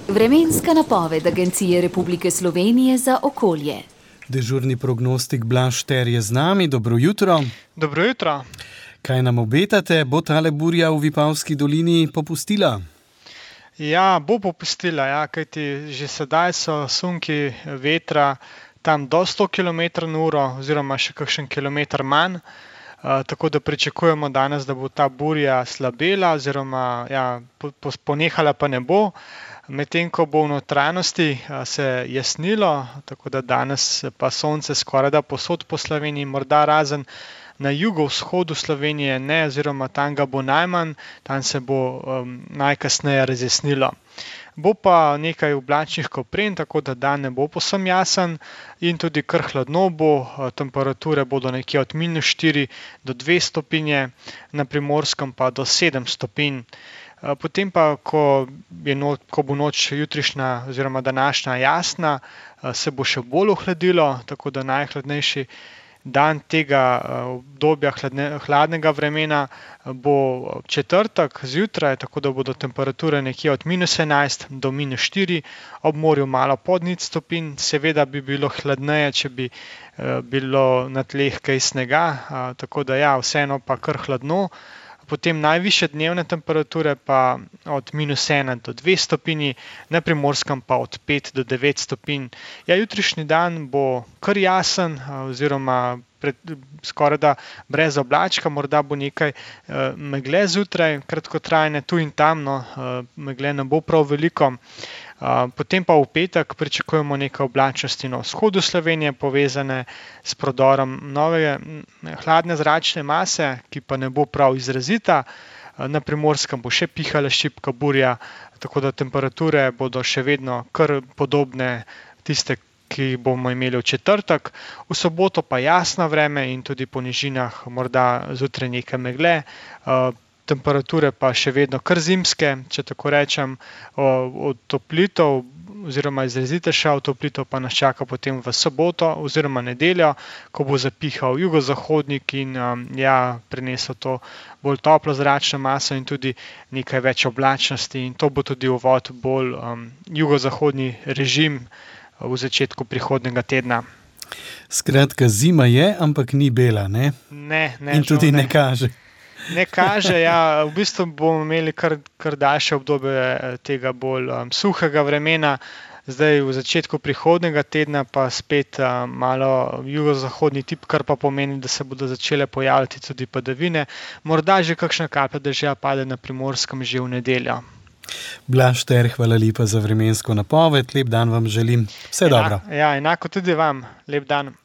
Vremenska napoved Agencije Republike Slovenije za okolje. Dežurni prognostik Blaž Šter je z nami. Dobro jutro. Dobro jutro. Kaj nam obetate? Bo tale burja v Vipavski dolini popustila? Ja, bo popustila, ja, kajti že sedaj so sunki vetra tam do 100 km/h oziroma še kakšen kilometer manj. Tako da pričakujemo danes, da bo ta burja slabela oziroma ponehala pa ne bo. Medtem ko bo v notranjosti se jasnilo, tako da danes pa sonce skorajda povsod po Sloveniji, morda razen na jugovzhodu Slovenije ne, oziroma tam ga bo najmanj, tam se bo najkasneje razjasnilo. Bo pa nekaj oblačnih kopren, tako da dan ne bo povsem jasen in tudi kar hladno bo, temperature bodo nekje od -4 do 2 stopinje, na Primorskem pa do 7 stopinj. Potem pa, ko bo noč jutrišnja oziroma današnja jasna, se bo še bolj ohladilo, tako da najhladnejši dan tega obdobja hladnega vremena bo četrtek zjutraj, tako da bodo temperature nekje od -11 do -4, ob morju malo pod 0 stopinj. Seveda bi bilo hladneje, če bi bilo na tleh kaj snega, tako da ja, vseeno pa kar hladno. Potem najvišje dnevne temperature pa od -1 do 2 stopinji, na Primorskem pa od 5 do 9 stopinj. Ja, jutrišnji dan bo kar jasen oziroma skorajda brez oblačka, morda bo nekaj megle zjutraj, kratkotrajne tu in tam, no, megle ne bo prav veliko. Potem pa v petek pričakujemo nekaj oblačnosti na vzhodu Slovenije, povezane s prodorom nove hladne zračne mase, ki pa ne bo prav izrazita. Na Primorskem bo še pihala šibka burja, tako da temperature bodo še vedno kar podobne tiste, ki jih bomo imeli v četrtek. V soboto pa jasno vreme in tudi po nižinah morda zjutraj nekaj megle. Temperature pa še vedno kar zimske, če tako rečem. Otoplitev oziroma izrazitejša otoplitev pa nas čaka potem v soboto oziroma nedeljo, ko bo zapihal jugozahodnik in prinesel to bolj toplo zračno maso in tudi nekaj več oblačnosti, in to bo tudi uvod bolj jugozahodni režim v začetku prihodnjega tedna. Skratka, zima je, ampak ni bela, ne? Ne. In tudi ne kaže. Ne kaže, ja. V bistvu bomo imeli kar daljše obdobje tega bolj suhega vremena. Zdaj v začetku prihodnjega tedna pa spet malo jugozahodni tip, kar pa pomeni, da se bodo začele pojavljati tudi padavine. Morda že kakšna kaplja dežja pade na Primorskem že v nedeljo. Blaž Šter, hvala lepa za vremensko napoved. Lep dan vam želim. Vse dobro. Ja, enako tudi vam. Lep dan.